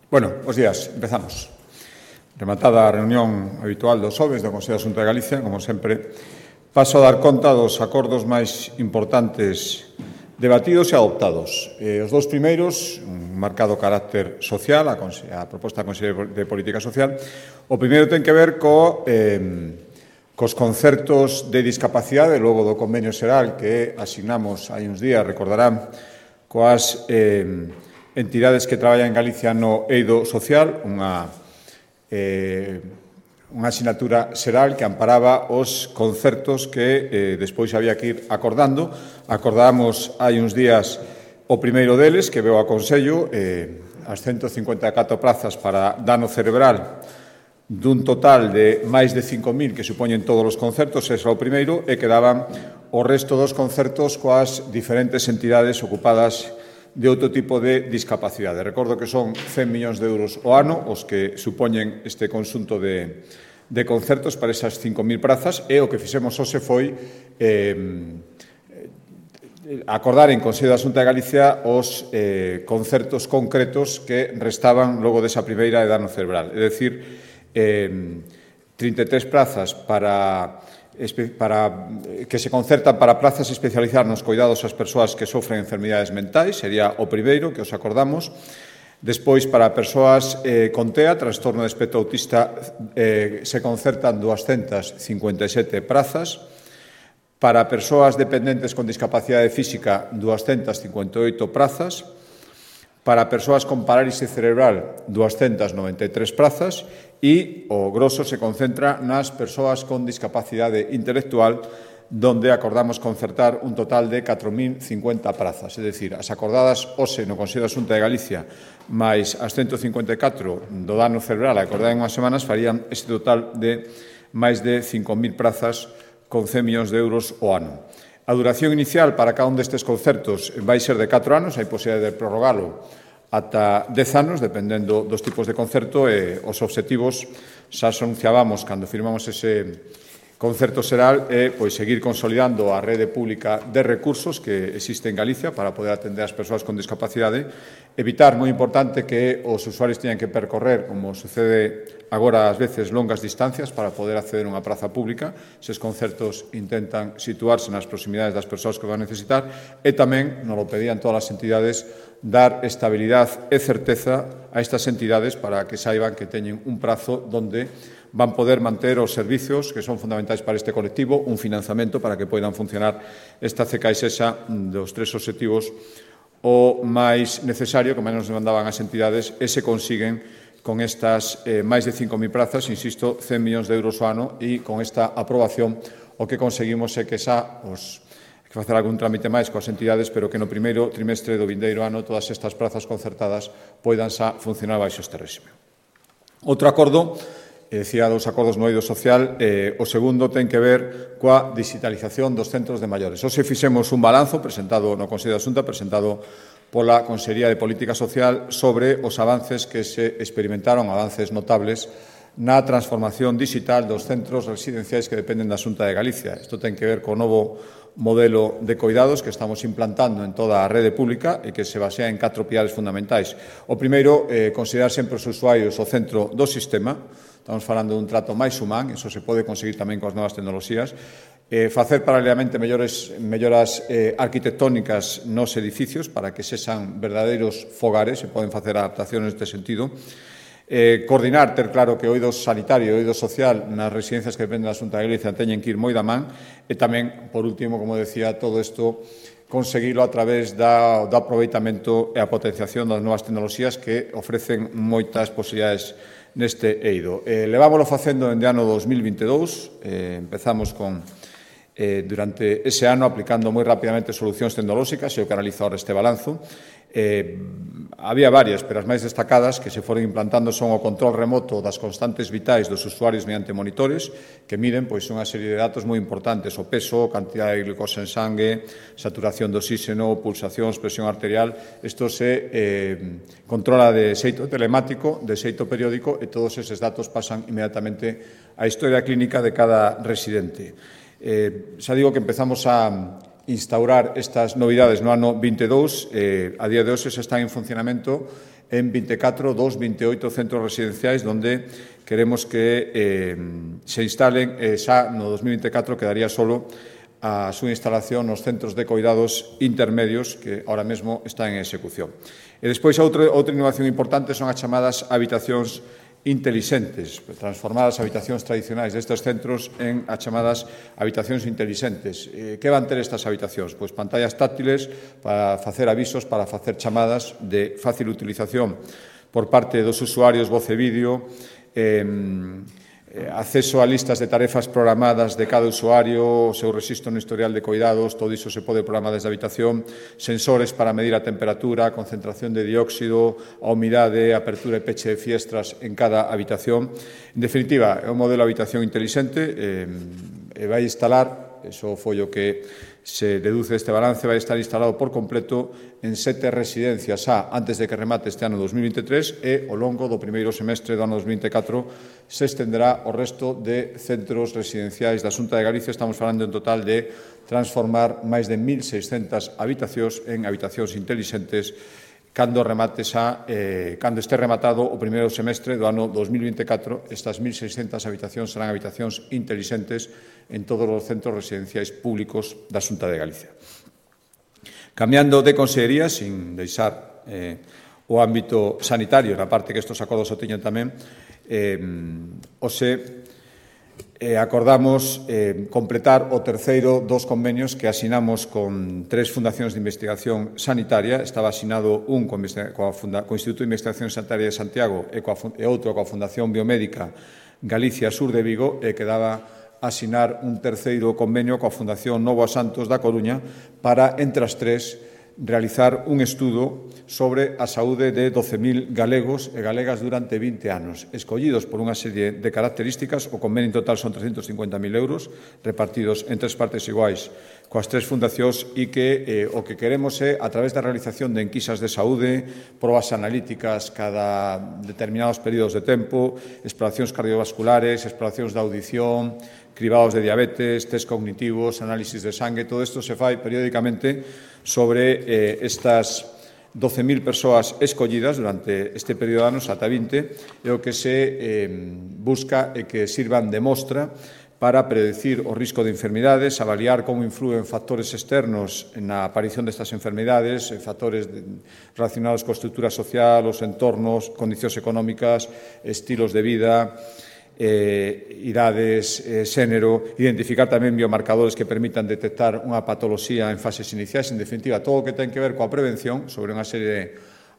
Bueno, bos días, empezamos. Rematada a reunión habitual dos xoves do Consello da Xunta de Galicia, como sempre, paso a dar conta dos acordos máis importantes debatidos e adoptados. Os dous primeiros, un marcado carácter social, a proposta da Consellería de Política Social. O primeiro ten que ver cos concertos de discapacidade, logo do convenio xeral que asignamos hai uns días, recordarán, coas entidades que traballan en Galicia no eido social, unha asignatura xeral que amparaba os concertos que despois había que ir acordando. Acordamos hai uns días o primeiro deles, que veu a Consello, as 154 prazas para dano cerebral dun total de máis de 5.000 que supoñen todos os concertos, ese é o primeiro, e quedaban o resto dos concertos coas diferentes entidades ocupadas de outro tipo de discapacidade. Recordo que son 100 millóns de euros o ano os que supoñen este conxunto de concertos para esas 5.000 prazas, e o que fixemos hoxe foi acordar en Consello da Xunta de Galicia os concertos concretos que restaban logo desa primeira de dano cerebral. É dicir, 33 plazas que se concertan para plazas especializadas nos cuidados ás persoas que sofren enfermidades mentais, sería o primeiro que os acordamos. Despois, para persoas con TEA, trastorno de espectro autista, se concertan 257 prazas. Para persoas dependentes con discapacidade física, 258 prazas. Para persoas con parálisis cerebral, 293 prazas. E o grosso se concentra nas persoas con discapacidade intelectual, donde acordamos concertar un total de 4.050 prazas. É dicir, as acordadas hoxe no Consello da Xunta de Galicia máis as 154 do dano cerebral acordadas en unhas semanas farían este total de máis de 5.000 prazas con 100 millóns de euros o ano. A duración inicial para cada un destes concertos vai ser de 4 anos, hai posibilidade de prorrogalo ata 10 anos, dependendo dos tipos de concerto, e os obxectivos xa anunciábamos cando firmamos ese concerto xeral pois seguir consolidando a rede pública de recursos que existe en Galicia para poder atender as persoas con discapacidade, evitar, moi importante, que os usuarios teñan que percorrer, como sucede agora ás veces, longas distancias para poder acceder a unha praza pública. Eses concertos intentan situarse nas proximidades das persoas que van necesitar, e tamén, nos lo pedían todas as entidades, dar estabilidade e certeza a estas entidades para que saiban que teñen un prazo donde van poder manter os servizos que son fundamentais para este colectivo, un financiamento para que poidan funcionar esta CKSESA dos tres obxectivos o máis necesario, que máis nos demandaban as entidades, e se consiguen con estas máis de 5.000 prazas, insisto, 100 millóns de euros ao ano, e con esta aprobación o que conseguimos é que xa que facer algún trámite máis coas entidades, pero que no primeiro trimestre do vindeiro ano todas estas prazas concertadas poidan xa funcionar baixo este réxime. Outro acordo, decía dos acordos no eido social, o segundo ten que ver coa digitalización dos centros de maiores. Hoxe fixemos un balanzo presentado no Consello da Xunta, presentado pola Consellería de Política Social, sobre os avances que se experimentaron, avances notables, na transformación digital dos centros residenciais que dependen da Xunta de Galicia. Isto ten que ver co novo modelo de coidados que estamos implantando en toda a rede pública e que se basea en 4 pilares fundamentais. O primeiro, considerar sempre os usuarios o centro do sistema. Estamos falando dun trato máis humán, iso se pode conseguir tamén coas novas tecnoloxías. Facer paralelamente melloras arquitectónicas nos edificios para que sexan verdadeiros fogares, se poden facer adaptacións neste sentido. Coordinar, ter claro que o eido sanitario e o eido social nas residencias que dependen da Xunta de Galicia teñen que ir moi da man, e tamén, por último, como decía, todo isto conseguilo a través do aproveitamento e a potenciación das novas tecnoloxías que ofrecen moitas posibilidades neste eido. Levámoslo facendo dende ano 2022, empezamos durante ese ano aplicando moi rapidamente solucións tecnolóxicas, e o que analiza ahora este balanzo. Había varias, pero as máis destacadas que se foron implantando son o control remoto das constantes vitais dos usuarios mediante monitores que miden unha serie de datos moi importantes: o peso, cantidade de glucosa en sangue, saturación de oxígeno, pulsacións, presión arterial. Isto se controla de xeito telemático, de xeito periódico, e todos eses datos pasan inmediatamente á historia clínica de cada residente. Xa digo que empezamos a instaurar estas novidades no ano 22, a día de hoxe se están en funcionamento en 24 dos 28 centros residenciais onde queremos que se instalen, xa no 2024 quedaría solo a súa instalación nos centros de coidados intermedios que ahora mesmo están en execución. E despois outra innovación importante son as chamadas habitacións intelixentes, transformar as habitacións tradicionais destes centros en as chamadas habitacións intelixentes. Que van ter estas habitacións? Pois pantallas táctiles para facer avisos, para facer chamadas de fácil utilización por parte dos usuarios, voz e vídeo, acceso a listas de tarefas programadas de cada usuario, o seu rexistro no historial de coidados, todo iso se pode programar desde a habitación, sensores para medir a temperatura, a concentración de dióxido, a humidade, a apertura e peche de fiestras en cada habitación. En definitiva, é un modelo de habitación inteligente e vai instalar, iso foi o que se deduce deste balance, vai estar instalado por completo en 7 residencias antes de que remate este ano 2023 e ao longo do primeiro semestre do ano 2024 se estenderá ao resto de centros residenciais da Xunta de Galicia. Estamos falando en total de transformar máis de 1.600 habitacións en habitacións intelixentes cando este rematado o primeiro semestre do ano 2024. Estas 1.600 habitacións serán habitacións intelixentes en todos os centros residenciais públicos da Xunta de Galicia. Cambiando de consellería, sin deixar o ámbito sanitario, na parte que estes acordos o teñen tamén, acordamos completar o terceiro dos convenios que asinamos con 3 fundacións de investigación sanitaria. Estaba asinado un co Instituto de Investigación Sanitaria de Santiago e outro coa Fundación Biomédica Galicia Sur de Vigo, e quedaba asinar un terceiro convenio coa Fundación Novo a Santos da Coruña para, entre as 3, realizar un estudo sobre a saúde de 12.000 galegos e galegas durante 20 anos, escollidos por unha serie de características. O convenio en total son 350.000 euros, repartidos en 3 partes iguais coas 3 fundacións, e que o que queremos é, a través da realización de enquisas de saúde, probas analíticas cada determinados períodos de tempo, exploracións cardiovasculares, exploracións de audición, cribados de diabetes, test cognitivos, análisis de sangue, todo isto se fai periódicamente sobre estas 12.000 persoas escollidas durante este período de anos ata 20, e o que se busca é que sirvan de mostra para predecir o risco de enfermidades, avaliar como influen factores externos na aparición destas enfermidades, factores relacionados coa estrutura social, os entornos, condicións económicas, estilos de vida, idades, xénero, identificar tamén biomarcadores que permitan detectar unha patoloxía en fases iniciais. En definitiva, todo o que ten que ver coa prevención sobre unha serie de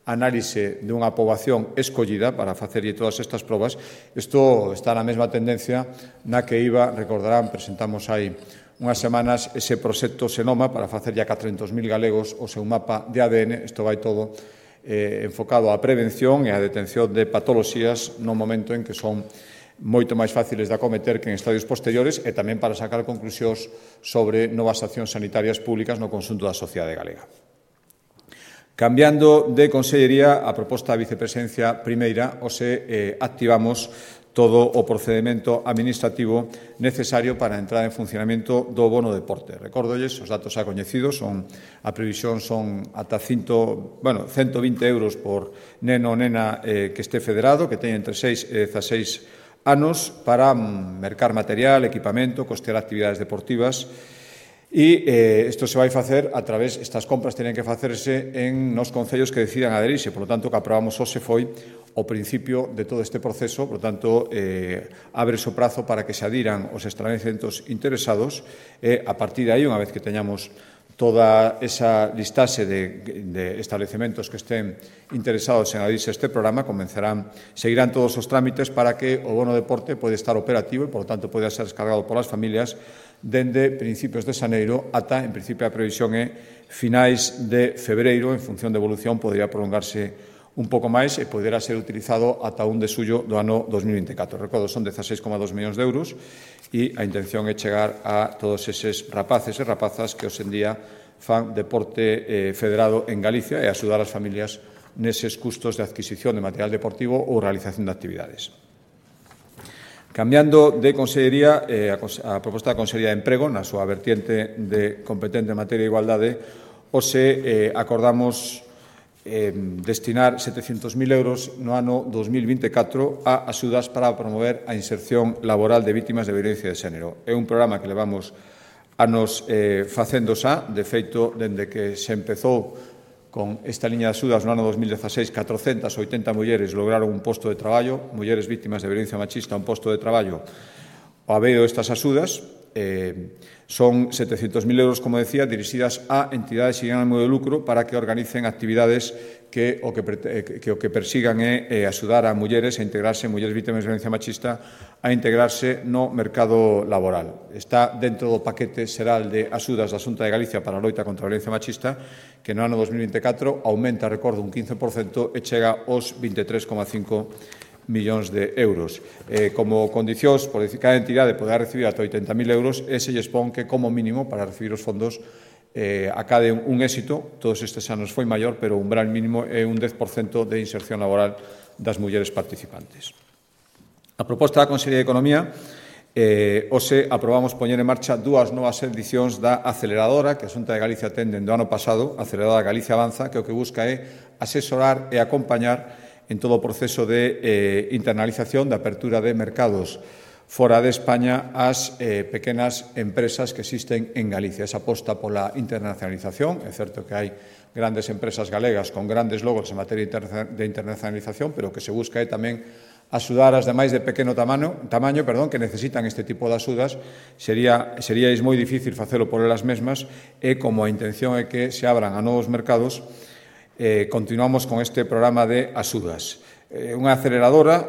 análise de unha poboación escollida para facerlle todas estas probas. Isto está na mesma tendencia na que recordarán, presentamos hai unhas semanas ese proxecto Senoma para facerlle a 400.000 galegos o seu mapa de ADN. Isto vai todo enfocado á prevención e á detención de patoloxías no momento en que son moito máis fáciles de acometer que en estadios posteriores, e tamén para sacar conclusións sobre novas accións sanitarias públicas no conxunto da sociedade galega. Cambiando de consellería, a proposta da vicepresidencia primeira, activamos todo o procedimento administrativo necesario para a entrada en funcionamento do bono deporte. Recórdolles, os datos xa coñecidos, a previsión son ata 120 euros por neno ou nena que este federado, que teña entre 6 e 16 anos, para mercar material, equipamento, costear actividades deportivas. E isto se vai facer a través, estas compras teñen que facerse nos concellos que decidan aderirse. Por lo tanto, o que aprobamos hoxe foi o principio de todo este proceso. Por lo tanto, abre o prazo para que se adiran os estabelecementos interesados, e a partir de aí, unha vez que teñamos toda esa listaxe de establecementos que estén interesados en adherirse a este programa, seguirán todos os trámites para que o bono deporte pode estar operativo e, por lo tanto, pode ser descargado polas familias dende principios de xaneiro ata, en principio, a previsión é finais de febreiro. En función de evolución, podría prolongarse un pouco máis e poderá ser utilizado ata 1 de xullo do ano 2024. Recordo, son 16,2 millóns de euros, e a intención é chegar a todos eses rapaces e rapazas que hoxe en día fan deporte federado en Galicia, e axudar as familias neses custos de adquisición de material deportivo ou realización de actividades. Cambiando de consellería, a proposta da Consellería de Emprego, na súa vertiente de competente en materia de igualdade, hoxe acordamos destinar 700.000 euros no ano 2024 a axudas para promover a inserción laboral de vítimas de violencia de xénero. É un programa que levamos anos facendo xa, de feito, dende que se empezou con esta liña de axudas no ano 2016, 480 mulleres lograron un posto de traballo, mulleres vítimas de violencia machista, un posto de traballo ao haber estas axudas. Son 700.000 euros, como decía, dirixidas a entidades sin ánimo de lucro para que organicen actividades que o que persigan é axudar a mulleres a integrarse, mulleres vítimas de violencia machista, a integrarse no mercado laboral. Está dentro do paquete xeral de axudas da Xunta de Galicia para a loita contra a violencia machista, que no ano 2024 aumenta, recordo, un 15% e chega aos 23,5 millóns de euros. Como condicións, por decir, cada entidade poderá recibir ata 80.000 euros e se lles pon que, como mínimo, para recibir os fondos, acade un éxito. Todos estes anos foi maior, pero o umbral mínimo é un 10% de inserción laboral das mulleres participantes. A proposta da Consellería de Economía, hoxe aprobamos poñer en marcha dúas novas edicións da aceleradora que a Xunta de Galicia ten dende o ano pasado, a aceleradora Galicia Avanza, que o que busca é asesorar e acompañar en todo o proceso de internalización, de apertura de mercados fora de España ás pequenas empresas que existen en Galicia. Esa aposta pola internacionalización. É certo que hai grandes empresas galegas con grandes logros en materia de internacionalización, pero o que se busca é tamén axudar as demais de pequeno tamaño, que necesitan este tipo de axudas. Seríais moi difícil facelo por elas mesmas e como a intención é que se abran a novos mercados, continuamos con este programa de axudas. Unha aceleradora,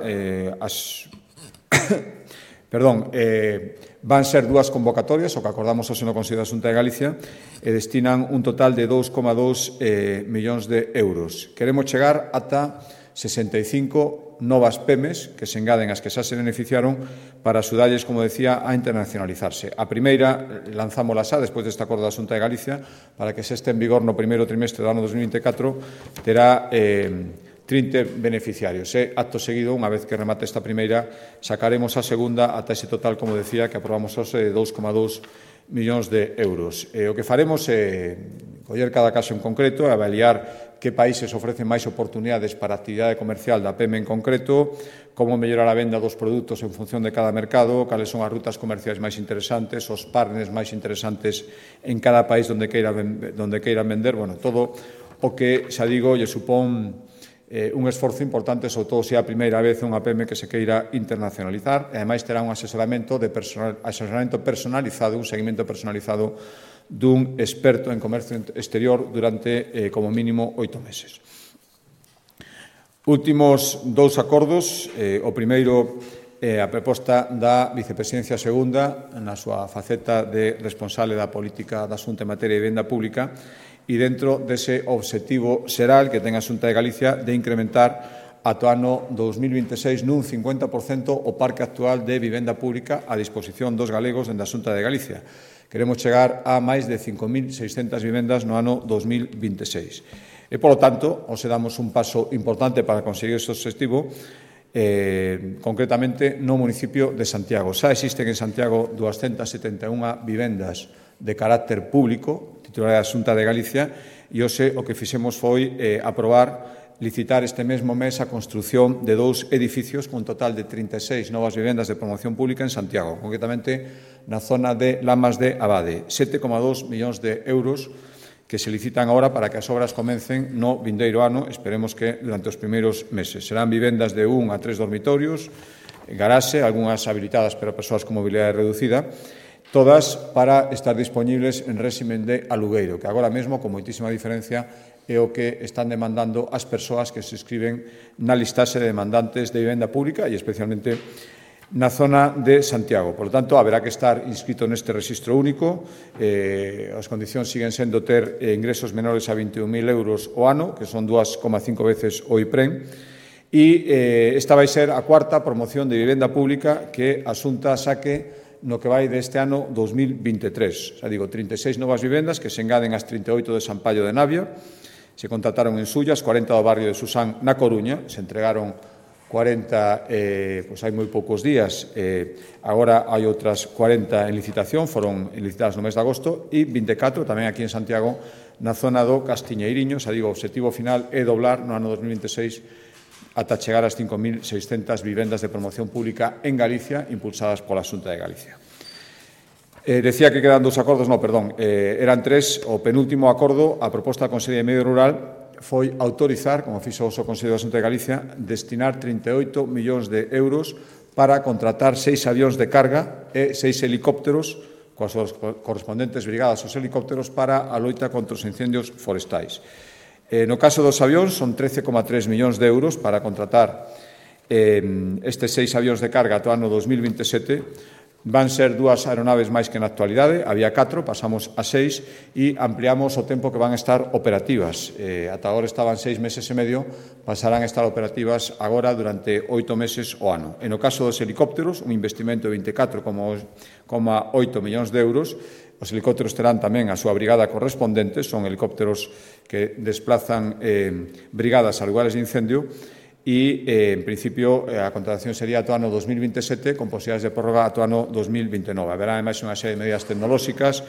van ser dúas convocatorias, o que acordamos hoxe no Consello da Xunta de Galicia, e destinan un total de 2,2 millóns de euros. Queremos chegar ata 65 novas PEMES que se engaden as que xa se beneficiaron para axudarlles, como decía, a internacionalizarse. A primeira lanzámola xa despois deste acordo da Xunta de Galicia para que se este en vigor no primeiro trimestre do ano 2024 terá 30 beneficiarios. Acto seguido, unha vez que remate esta primeira, sacaremos a segunda ata ese total, como decía, que aprobamos hoxe de 2,2 millóns de euros. O que faremos é coller cada caso en concreto e avaliar que países ofrecen máis oportunidades para a actividade comercial da PEME en concreto, como mellorar a venda dos produtos en función de cada mercado, cales son as rutas comerciais máis interesantes, os partners máis interesantes en cada país onde queiran vender, todo o que, xa digo, lle supón un esforzo importante, sobre todo se é a primeira vez unha PEME que se queira internacionalizar, e ademais terá un asesoramento personalizado, un seguimento personalizado dun experto en comercio exterior durante, como mínimo, 8 meses. Últimos dous acordos. O primeiro é a proposta da Vicepresidencia Segunda na súa faceta de responsable da política da Xunta en materia de vivenda pública e dentro dese obxectivo xeral que ten a Xunta de Galicia de incrementar ata o ano 2026 nun 50% o parque actual de vivenda pública a disposición dos galegos dende a Xunta de Galicia. Queremos chegar a máis de 5.600 vivendas no ano 2026. E, polo tanto, hoxe damos un paso importante para conseguir ese obxectivo, concretamente no municipio de Santiago. Xa existen en Santiago 271 vivendas de carácter público, titularidade da Xunta de Galicia, e hoxe o que fixemos foi licitar este mesmo mes a construción de 2 edificios con un total de 36 novas vivendas de promoción pública en Santiago, concretamente na zona de Lamas de Abade. 7,2 millóns de euros que se licitan agora para que as obras comecen no vindeiro ano, esperemos que durante os primeiros meses. Serán vivendas de 1 a 3 dormitorios, garaxe, algunhas habilitadas para persoas con mobilidade reducida, todas para estar disponibles en réximen de alugueiro, que agora mesmo, con moitísima diferencia, é o que están demandando as persoas que se inscriben na listaxe de demandantes de vivenda pública e especialmente na zona de Santiago. Por lo tanto, haberá que estar inscrito neste rexistro único. As condicións siguen sendo ter ingresos menores a 21.000 euros o ano, que son 2,5 veces o IPREN, e esta vai ser a cuarta promoción de vivenda pública que a Xunta saque no que vai deste ano 2023. Xa digo, 36 novas vivendas que se engaden ás 38 de San Pallo de Navia. Se contrataron en Sullas, 40 do barrio de Susán na Coruña, se entregaron 40, pois hai moi poucos días, agora hai outras 40 en licitación, foron licitadas no mes de agosto, e 24 tamén aquí en Santiago, na zona do Castiñeiriño. Xa digo, o obxectivo final é doblar no ano 2026 ata chegar ás 5.600 vivendas de promoción pública en Galicia, impulsadas pola Xunta de Galicia. Decía que quedan 2 acordos, eran 3. O penúltimo acordo, a proposta da Consellería de Medio Rural, foi autorizar, como fixo o Consello da Xunta de Galicia, destinar 38 millóns de euros para contratar 6 avións de carga e 6 helicópteros, coas correspondentes brigadas aos helicópteros, para a loita contra os incendios forestais. No caso dos avións, son 13,3 millóns de euros para contratar estes 6 avións de carga ata o ano 2027. Van ser 2 aeronaves máis que na actualidade, había 4, pasamos a 6 e ampliamos o tempo que van a estar operativas. Ata agora estaban 6 meses e medio, pasarán a estar operativas agora durante 8 meses o ano. E no caso dos helicópteros, un investimento de 24,8 millóns de euros. Os helicópteros terán tamén a súa brigada correspondente, son helicópteros que desplazan brigadas a lugares de incendio, e, en principio, a contratación sería ata o ano 2027, con posibilidades de prórroga ata o ano 2029. Haberá, ademais, unha serie de medidas tecnolóxicas,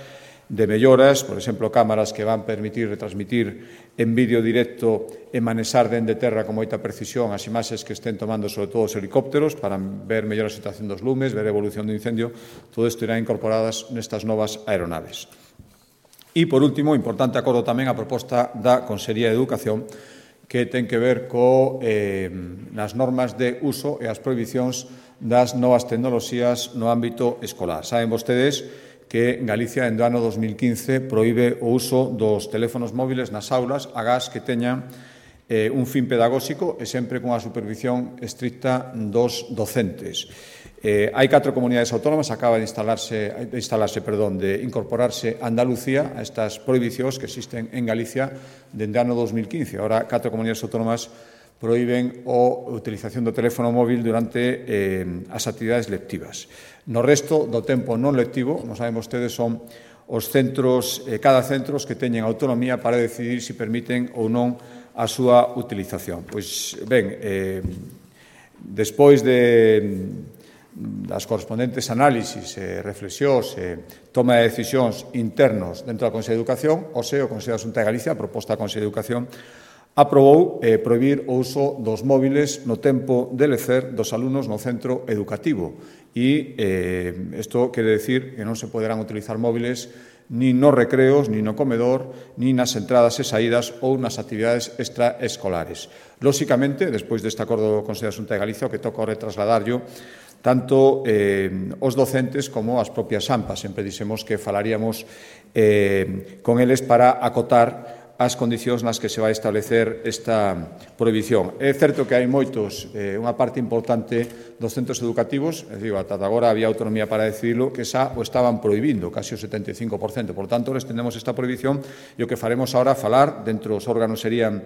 de melloras, por exemplo, cámaras que van permitir retransmitir en vídeo directo e manexar dende terra con moita precisión as imaxes que estén tomando, sobre todo os helicópteros, para ver mellor a situación dos lumes, ver a evolución do incendio. Todo isto irá incorporadas nestas novas aeronaves. E, por último, importante acordo tamén a proposta da Consellería de Educación, que ten que ver nas normas de uso e as prohibicións das novas tecnoloxías no ámbito escolar. Saben vostedes que Galicia, en o ano 2015, proíbe o uso dos teléfonos móviles nas aulas agás que teñan un fin pedagóxico e sempre cunha supervisión estricta dos docentes. Hai 4 comunidades autónomas, acaba de incorporarse Andalucía a estas prohibicións que existen en Galicia dende o ano 2015. Ahora, 4 comunidades autónomas proíben a utilización do teléfono móvil durante as actividades lectivas. No resto do tempo non lectivo, non saben vostedes, son os centros, cada centro que teñen autonomía para decidir se permiten ou non a súa utilización. Pois, ben, despois das correspondentes análisis, reflexións e toma de decisións internos dentro da Consello de Educación, o Consello da Xunta de Galicia, a proposta da Consello de Educación, aprobou prohibir o uso dos móviles no tempo de lecer dos alumnos no centro educativo. E isto quere decir que non se poderán utilizar móviles nin nos recreos, nin no comedor, nin nas entradas e saídas ou nas actividades extraescolares. Lóxicamente, despois deste acordo do Consello da Xunta de Galicia, o que toca retrasladarlo tanto os docentes como as propias AMPAs. Sempre dixemos que falaríamos con eles para acotar as condicións nas que se vai establecer esta prohibición. É certo que hai moitos, unha parte importante dos centros educativos, ata agora había autonomía para decidirlo, que xa o estaban prohibindo, casi o 75%. Por tanto, les tendemos esta prohibición e o que faremos agora falar, dentro dos órganos serían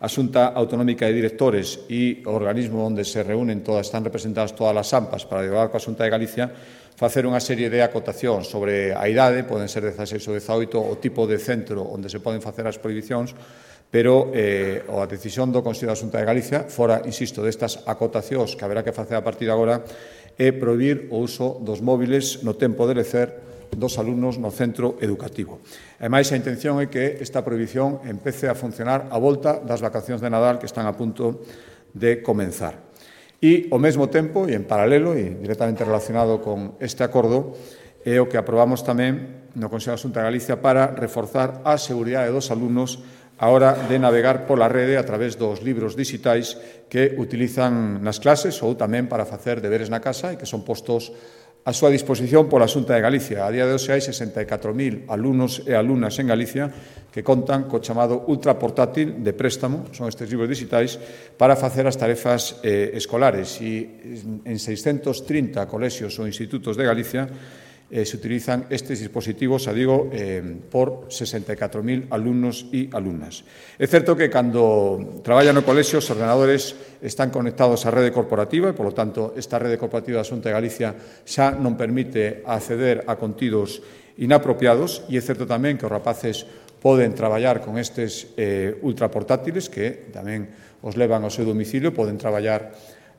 a Xunta Autonómica de Directores e o organismo onde se reúnen están representadas todas as AMPAs para dialogar coa Xunta de Galicia, facer unha serie de acotacións sobre a idade, poden ser 16 ou 18, o tipo de centro onde se poden facer as prohibicións, pero a decisión do Consello da Xunta de Galicia, fora, insisto, destas acotacións que haberá que facer a partir de agora, é prohibir o uso dos móviles no tempo de lecer dos alumnos no centro educativo. Ademais, a intención é que esta prohibición empece a funcionar a volta das vacacións de Nadal que están a punto de comenzar. E, ao mesmo tempo, e en paralelo, e directamente relacionado con este acordo, é o que aprobamos tamén no Consello da Xunta de Galicia para reforzar a seguridade dos alumnos a hora de navegar pola rede a través dos libros digitais que utilizan nas clases ou tamén para facer deberes na casa e que son postos a súa disposición pola Xunta de Galicia. A día de hoxe hai 64.000 alumnos e alumnas en Galicia que contan co chamado ultraportátil de préstamo, son estes libros digitais, para facer as tarefas escolares. E en 630 colexios ou institutos de Galicia se utilizan estes dispositivos, por 64.000 alumnos e alumnas. É certo que cando traballan no colexio os ordenadores están conectados á rede corporativa e, polo tanto, esta rede corporativa da Xunta de Galicia xa non permite acceder a contidos inapropiados e é certo tamén que os rapaces poden traballar con estes ultraportátiles que tamén os levan ao seu domicilio, poden traballar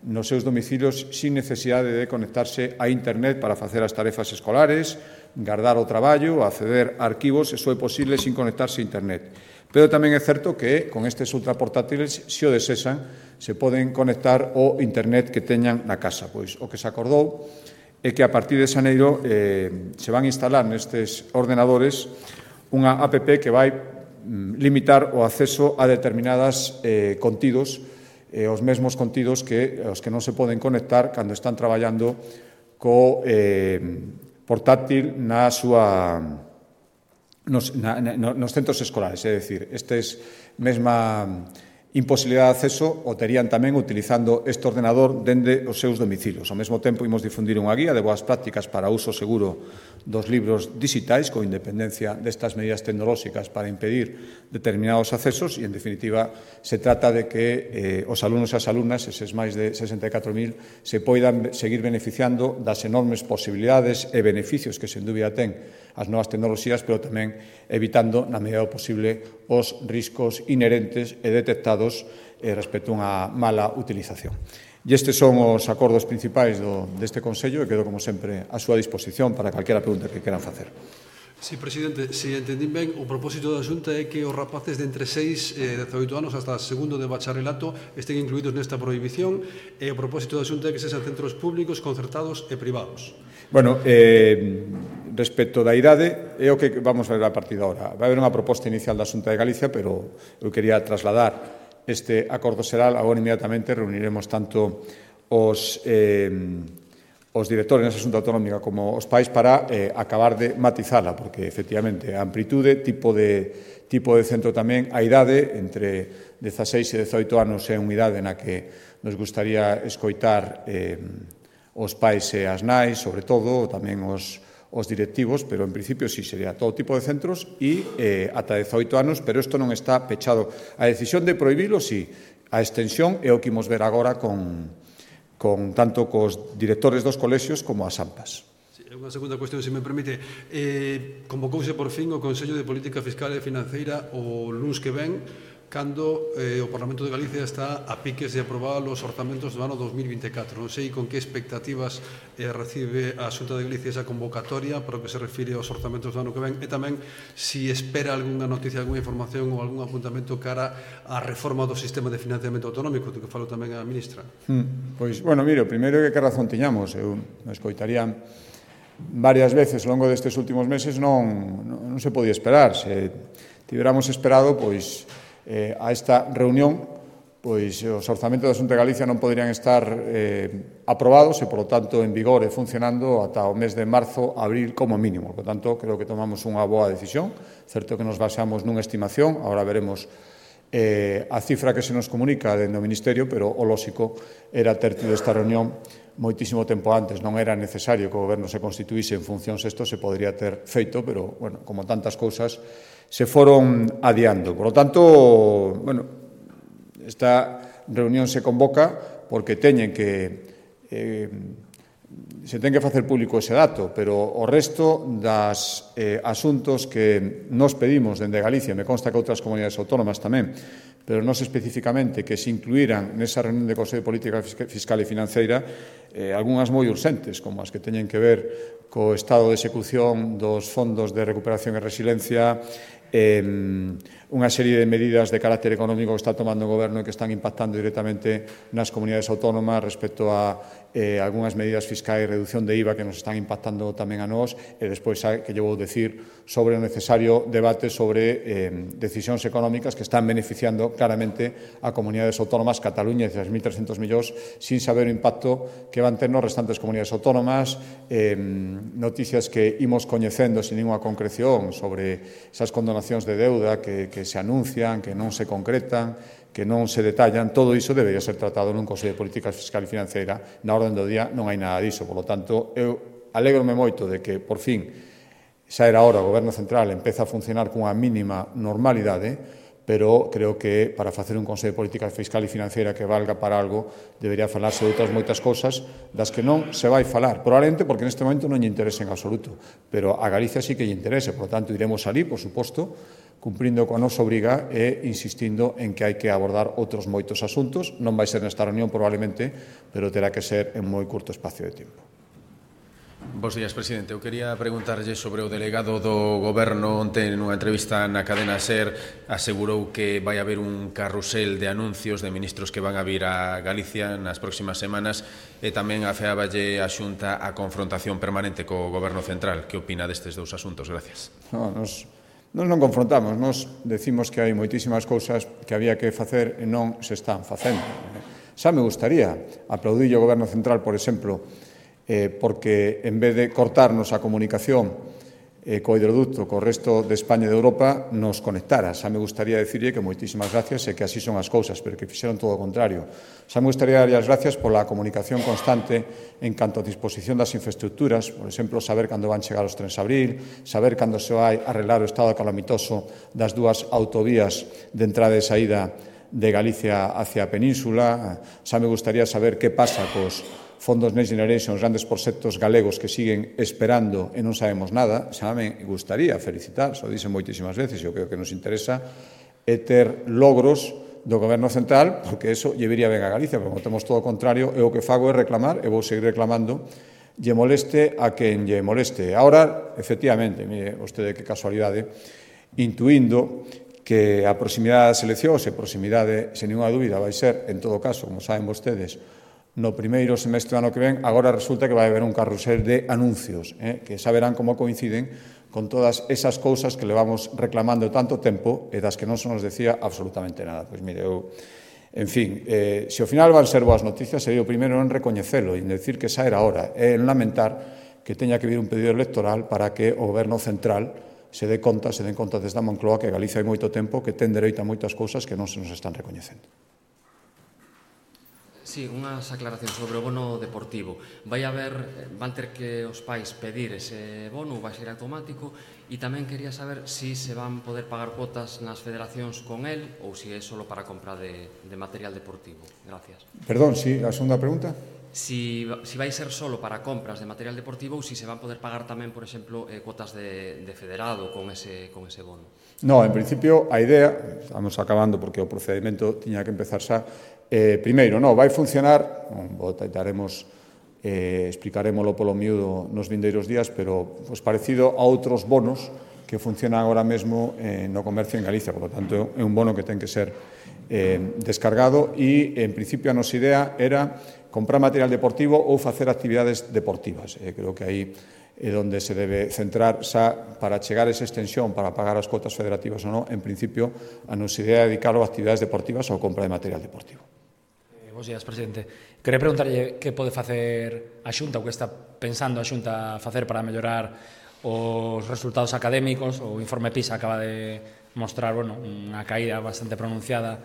nos seus domicilios sin necesidade de conectarse a internet para facer as tarefas escolares, guardar o traballo, acceder a arquivos, eso é posible sin conectarse a internet. Pero tamén é certo que con estes ultraportátiles, se o desesan, se poden conectar ao internet que teñan na casa. Pois o que se acordou é que a partir de xaneiro se van a instalar nestes ordenadores unha app que vai limitar o acceso a determinadas contidos, os mesmos contidos que os que non se poden conectar cando están traballando co portátil nos centros escolares. É dicir, estes mesma imposibilidade de acceso o terían tamén utilizando este ordenador dende os seus domicilios. Ao mesmo tempo, imos difundir unha guía de boas prácticas para o uso seguro dos libros digitais, con independencia destas medidas tecnolóxicas para impedir determinados accesos e, en definitiva, se trata de que os alumnos e as alumnas, eses máis de 64.000, se poidan seguir beneficiando das enormes posibilidades e beneficios que, sen dúbida, ten as novas tecnoloxías, pero tamén evitando, na medida do posible, os riscos inherentes e detectados respecto a unha mala utilización. E estes son os acordos principais deste Consello e quedo, como sempre, a súa disposición para calquera pregunta que queran facer. Sí, presidente, se entendín ben, o propósito da Xunta é que os rapaces de entre 6 e 18 anos hasta segundo de bacharelato estén incluídos nesta prohibición e o propósito da Xunta é que sexan centros públicos, concertados e privados. Bueno, respecto da idade, é o que vamos ver a partir de agora. Vai haber unha proposta inicial da Xunta de Galicia, pero eu quería trasladar este acordo xeral. Agora, inmediatamente, reuniremos tanto os directores nesa Xunta Autonómica como os pais para acabar de matizala, porque, efectivamente, a amplitude, tipo de centro tamén, a idade, entre 16 e 18 anos é unha idade na que nos gustaría escoitar os pais e as nais, sobre todo, tamén os directivos, pero en principio sí sería todo tipo de centros e ata 18 anos, pero isto non está pechado. A decisión de prohibilo, sí, a extensión é o que imos ver agora tanto cos directores dos colexios como as AMPAs. Unha segunda cuestión, se me permite. Convocouse por fin o Consello de Política Fiscal e Financeira o luns que ven, cando o Parlamento de Galicia está a piques de aprobar os orzamentos do ano 2024. Non sei con que expectativas recibe a Xunta de Galicia esa convocatoria para o que se refire aos orzamentos do ano que ven e tamén si espera algunha noticia, algunha información ou algún apuntamento cara á reforma do sistema de financiamento autonómico, do que falou tamén a ministra. Pois, bueno, mire, o primeiro é que razón tiñamos. Eu me escoitaría varias veces ao longo destes últimos meses non se podía esperar. Se tiveramos esperado, pois, a esta reunión, pois os orzamentos da Xunta de Galicia non poderían estar aprobados e, por lo tanto, en vigor e funcionando ata o mes de marzo, abril, como mínimo. Por lo tanto, creo que tomamos unha boa decisión. Certo que nos basamos nunha estimación, agora veremos a cifra que se nos comunica dentro do Ministerio, pero o lóxico era ter tido esta reunión moitísimo tempo antes. Non era necesario que o Goberno se constituíse en funcións, isto se podría ter feito, pero, bueno, como tantas cousas, se foron adiando. Por lo tanto, bueno, esta reunión se convoca porque teñen que se ten que facer público ese dato, pero o resto das asuntos que nos pedimos dende Galicia, me consta que outras comunidades autónomas tamén, pero non especificamente que se incluíran nesa reunión de Consello de Política Fiscal e Financeira algunhas moi urxentes, como as que teñen que ver co estado de execución dos fondos de recuperación e resiliencia, unha serie de medidas de carácter económico que está tomando o Goberno e que están impactando directamente nas comunidades autónomas respecto a algunhas medidas fiscais e reducción de IVA que nos están impactando tamén a nós, e despois que lle vou decir sobre o necesario debate sobre decisións económicas que están beneficiando claramente a comunidades autónomas, Cataluña, 6.300 millóns, sin saber o impacto que van ter nos restantes comunidades autónomas, noticias que imos coñecendo sin ninguna concreción sobre esas condonacións de deuda que se anuncian, que non se concretan, que non se detallan. Todo iso debería ser tratado nun Consello de Política Fiscal e Financeira. Na orden do día non hai nada diso. Por lo tanto, eu alégrome moito de que, por fin, xa era hora o Goberno Central empeza a funcionar cunha mínima normalidade, pero creo que para facer un Consello de Política Fiscal e Financeira que valga para algo debería falarse de outras moitas cousas das que non se vai falar, probablemente porque neste momento non lle interesa en absoluto, pero a Galicia sí que lle interesa. Por lo tanto, iremos alí, por suposto, cumprindo coa nosa obriga e insistindo en que hai que abordar outros moitos asuntos. Non vai ser nesta reunión probablemente, pero terá que ser en moi curto espacio de tempo. Bos días, presidente. Eu quería preguntarlle sobre o delegado do Goberno. Onte, nunha entrevista na cadena SER, asegurou que vai haber un carrusel de anuncios de ministros que van a vir a Galicia nas próximas semanas e tamén afeáballe a Xunta a confrontación permanente co Goberno central. Que opina destes dous asuntos? Gracias. Nos non confrontamos, nos decimos que hai moitísimas cousas que había que facer e non se están facendo. Xa me gustaría aplaudir o Goberno central, por exemplo, porque en vez de cortarnos a comunicación co hidroducto co resto de España e de Europa, nos conectara. Xa me gustaría dicirlle que moitísimas gracias e que así son as cousas, pero que fixeron todo o contrario. Xa me gustaría darlle as gracias pola comunicación constante en canto a disposición das infraestructuras, por exemplo, saber cando van chegar os trens a abril, saber cando se vai arreglar o estado calamitoso das dúas autovías de entrada e saída de Galicia hacia a península. Xa me gustaría saber que pasa cos fondos Next Generation, os grandes proxectos galegos que siguen esperando e non sabemos nada. Xa me gustaría felicitar, só dicen moitísimas veces, e o que nos interesa é ter logros do Goberno central, porque eso lle viría ben a Galicia, porque temos todo o contrario, e o que fago é reclamar, e vou seguir reclamando, lle moleste a quen lle moleste. Ahora, efectivamente, mire vostede que casualidade, intuindo que a proximidade das eleccións e proximidade, sen ninguna dúbida, vai ser, en todo caso, como saben vostedes, no primeiro semestre do ano que ven, agora resulta que vai haber un carrusel de anuncios, que xa verán como coinciden con todas esas cousas que levamos reclamando tanto tempo e das que non se nos decía absolutamente nada. Pois mire, eu, en fin, se ao final van ser boas noticias, sería o primeiro en recoñecelo e en decir que xa era hora, e en lamentar que teña que vir un pedido electoral para que o Goberno central se den conta desde a Moncloa que Galicia hai moito tempo que ten dereito a moitas cousas que non se nos están recoñecendo. Sí, unhas aclaracións sobre o bono deportivo. Van ter que os pais pedir ese bono, vai ser automático, e tamén quería saber se se van poder pagar cuotas nas federacións con el ou se é só para compra de material deportivo. Gracias. Perdón, sí, a segunda pregunta. Si vai ser solo para compras de material deportivo ou se se van poder pagar tamén, por exemplo, cuotas de federado con ese bono. No, en principio, a idea, estamos acabando porque o procedimento tiña que empezar xa, primeiro, vai funcionar, explicarémolo polo miúdo nos vindeiros días, pero parecido a outros bonos que funcionan agora mesmo no comercio en Galicia, por lo tanto, é un bono que ten que ser descargado e, en principio, a nosa idea era comprar material deportivo ou facer actividades deportivas. Creo que aí é onde se debe centrar xa para chegar a esa extensión para pagar as cuotas federativas ou non. En principio, a nosa idea é dedicarlo a actividades deportivas ou compra de material deportivo. Bos días, presidente. Quería preguntarlle que pode facer a Xunta ou que está pensando a Xunta facer para mellorar os resultados académicos. O informe PISA acaba de mostrar unha caída bastante pronunciada.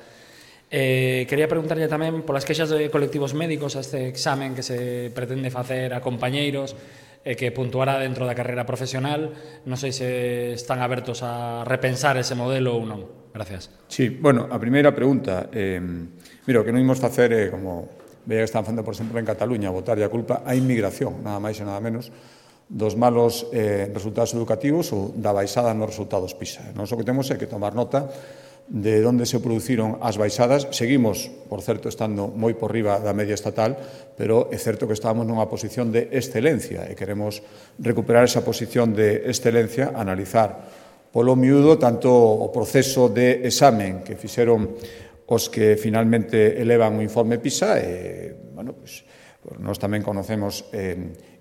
Quería preguntarlle tamén polas queixas de colectivos médicos a este examen que se pretende facer a compañeiros e que puntuará dentro da carreira profesional. Non sei se están abertos a repensar ese modelo ou non. Gracias. Sí, bueno, a primeira pregunta, mira, o que non imos facer é, como veía que están facendo, por exemplo, en Cataluña, botarlle a culpa á inmigración, nada máis e nada menos, dos malos resultados educativos ou da baixada nos resultados PISA. Nós o que temos é que tomar nota de onde se produciron as baixadas. Seguimos, por certo, estando moi por riba da media estatal, pero é certo que estábamos nunha posición de excelencia e queremos recuperar esa posición de excelencia, analizar polo miúdo tanto o proceso de examen que fixeron os que finalmente elevan o informe PISA e, nós tamén conocemos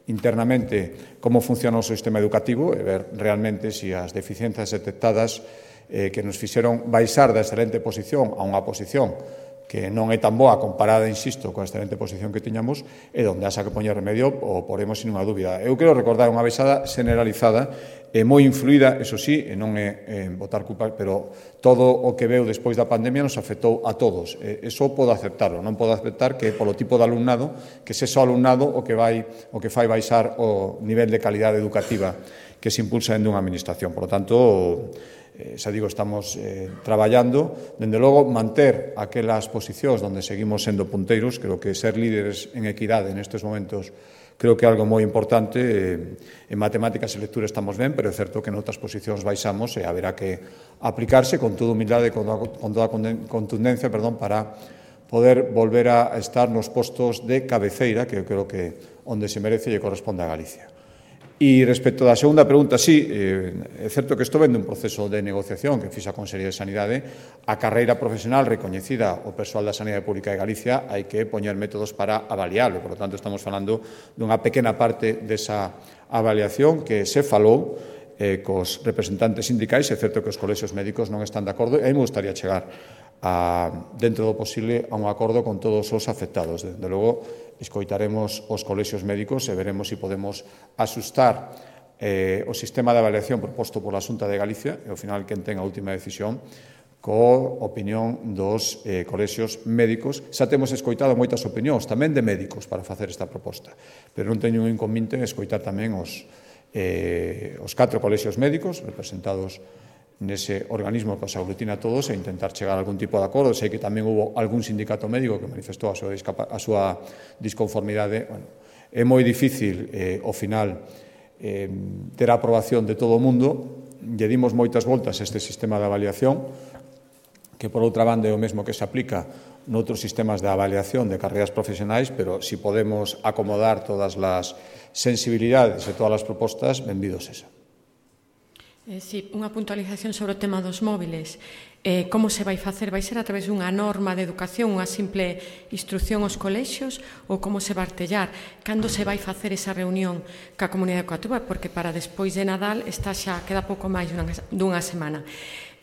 internamente como funciona o sistema educativo e ver realmente se as deficiencias detectadas que nos fixeron baixar da excelente posición a unha posición que non é tan boa comparada, insisto, coa excelente posición que tiñamos, e onde haxa que poñer remedio o poremos sin unha dúbida. Eu quero recordar unha baixada generalizada e moi influída, eso sí, e non é botar culpa, pero todo o que veu despois da pandemia nos afectou a todos. Eso podo aceptarlo, non podo aceptar que polo tipo de alumnado, que se só alumnado o que fai baixar o nivel de calidade educativa que se impulsa dentro dunha administración. Por lo tanto, xa digo, estamos traballando, dende logo, manter aquelas posicións onde seguimos sendo punteiros. Creo que ser líderes en equidade nestes momentos creo que é algo moi importante. En matemáticas e lectura estamos ben, pero é certo que en outras posicións baixamos e haberá que aplicarse con toda humildade e con toda contundencia para poder volver a estar nos postos de cabeceira, que eu creo que onde se merece e corresponde a Galicia. E respecto da segunda pregunta, sí, é certo que isto ven dun proceso de negociación que fixa a Consellería de Sanidade. A carreira profesional recoñecida o persoal da Sanidade Pública de Galicia hai que poñer métodos para avaliarlo. Por lo tanto, estamos falando dunha pequena parte desa avaliación que se falou cos representantes sindicais. É certo que os colexios médicos non están de acordo e a mí me gustaría chegar dentro do posible a un acordo con todos os afectados. Desde logo, escoitaremos os colexios médicos e veremos se podemos asustar o sistema de avaliación proposto pola Xunta de Galicia e, ao final, quen ten a última decisión co opinión dos colexios médicos. Xa temos escoitado moitas opinións, tamén de médicos, para facer esta proposta, pero non teño un inconvinte en escoitar tamén os 4 colexios médicos representados nese organismo que os aglutina a todos e intentar chegar a algún tipo de acordo. Sei que tamén hubo algún sindicato médico que manifestou a súa disconformidade. Bueno, é moi difícil, ao final, ter a aprobación de todo o mundo. Lle dimos moitas voltas a este sistema de avaliación, que por outra banda é o mesmo que se aplica noutros sistemas de avaliación de carreiras profesionais, pero si podemos acomodar todas as sensibilidades e todas as propostas, benvidos esa. Sí, unha puntualización sobre o tema dos móviles. Como se vai facer? Vai ser a través dunha norma de educación, unha simple instrucción aos colexios, ou como se vai artellar? Cando se vai facer esa reunión ca comunidade educativa? Porque para despois de Nadal xa queda pouco máis dunha semana.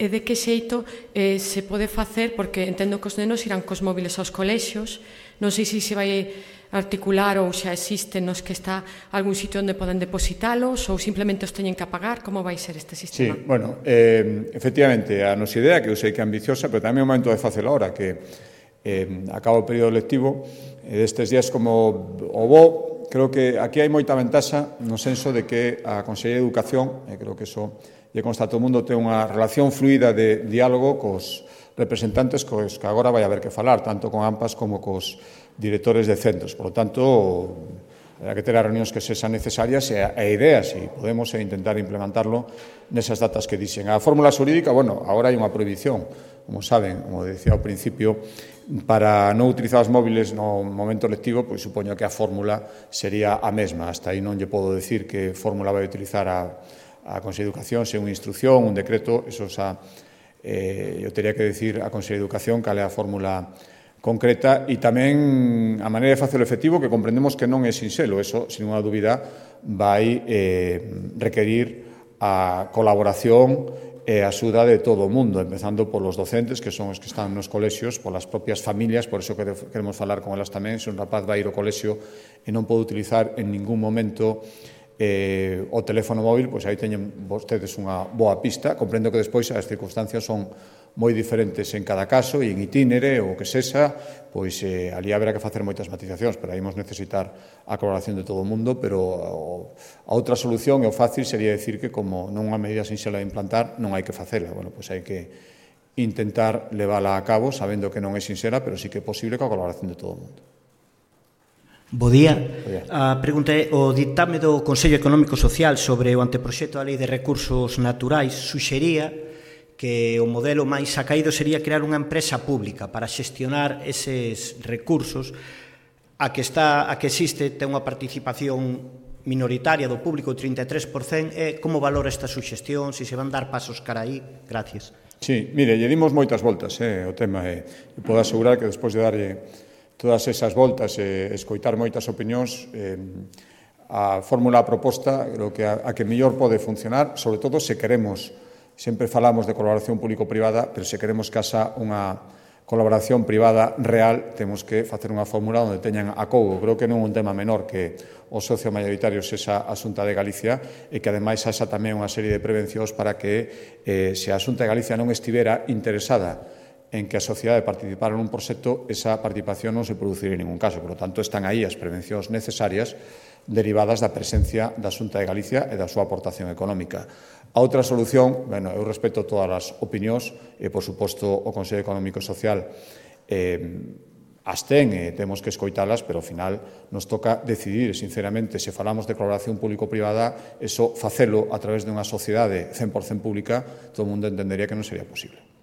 E de que xeito se pode facer? Porque entendo que os nenos irán cos móviles aos colexios. Non sei se vai articular ou xa existen nos que está algún sitio onde poden depositalos ou simplemente os teñen que apagar. Como vai ser este sistema? Sí, bueno, efectivamente, a nosa idea, que eu sei que é ambiciosa, pero tamén é o momento de facelo ahora, que acaba o período lectivo, destes días como o bo, creo que aquí hai moita ventaxa no senso de que a Consellería de Educación, e creo que iso lle consta a todo o mundo, ten unha relación fluida de diálogo cos representantes cos que agora vai haber que falar, tanto con AMPAs como cos directores de centros. Por lo tanto, habrá que ter as reunións que sexan necesarias e ideas, e podemos intentar implementarlo nesas datas que dixen. A fórmula xurídica, bueno, agora hai unha prohibición, como saben, como decía ao principio, para non utilizar os móviles no momento lectivo, pois supoño que a fórmula sería a mesma. Hasta aí non lle podo decir que fórmula vai utilizar a Consellería de Educación, se unha instrucción, un decreto, eso xa eu teria que decir a Consellería de Educación cal é a fórmula concreta, e tamén a maneira de facelo efectivo, que comprendemos que non é sinxelo. Eso, sin unha dúbida, vai requerir a colaboración e a axuda de todo o mundo, empezando polos docentes, que son os que están nos colexios, polas propias familias. Por iso queremos falar con elas tamén. Se un rapaz vai ir ao colexio e non pode utilizar en ningún momento o teléfono móvil, pois aí teñen vostedes unha boa pista. Comprendo que despois as circunstancias son moi diferentes en cada caso, e en itinere ou que sexa, pois ali haberá que facer moitas matizacións, pero aí vamos necesitar a colaboración de todo o mundo. Pero a outra solución e o fácil sería decir que, como non unha medida sinxela de implantar, non hai que facela. Bueno, pois hai que intentar levala a cabo, sabendo que non é sinxela, pero sí que é posible coa colaboración de todo o mundo. Bo día. A pregunta é: o ditame do Consello Económico Social sobre o anteproxecto da Lei de Recursos Naturais suxería que o modelo máis acaído sería crear unha empresa pública para xestionar eses recursos. A que existe ten unha participación minoritaria do público, 33%. Como valora esta suxestión? Se van dar pasos cara aí? Gracias. Sí, mire, lle dimos moitas voltas o tema, e podo asegurar que despois de darlle todas esas voltas e escoitar moitas opinións, a fórmula proposta creo que a que mellor pode funcionar, sobre todo se queremos. Sempre falamos de colaboración público-privada, pero se queremos que haxa unha colaboración privada real, temos que facer unha fórmula onde teñan acougo. Creo que non é un tema menor que o socio mayoritario sexa a Xunta de Galicia, e que ademais haxa tamén unha serie de prevencións para que se a Xunta de Galicia non estivera interesada en que a sociedade participara nun proxecto, esa participación non se produciría en ningún caso. Por lo tanto, están aí as prevencións necesarias derivadas da presencia da Xunta de Galicia e da súa aportación económica. A outra solución, eu respeto todas as opinións, e, por suposto, o Consello Económico e Social as ten e temos que escoitalas, pero ao final nos toca decidir, sinceramente, se falamos de colaboración público-privada, eso facelo a través dunha sociedade 100% pública, todo o mundo entendería que non sería posible.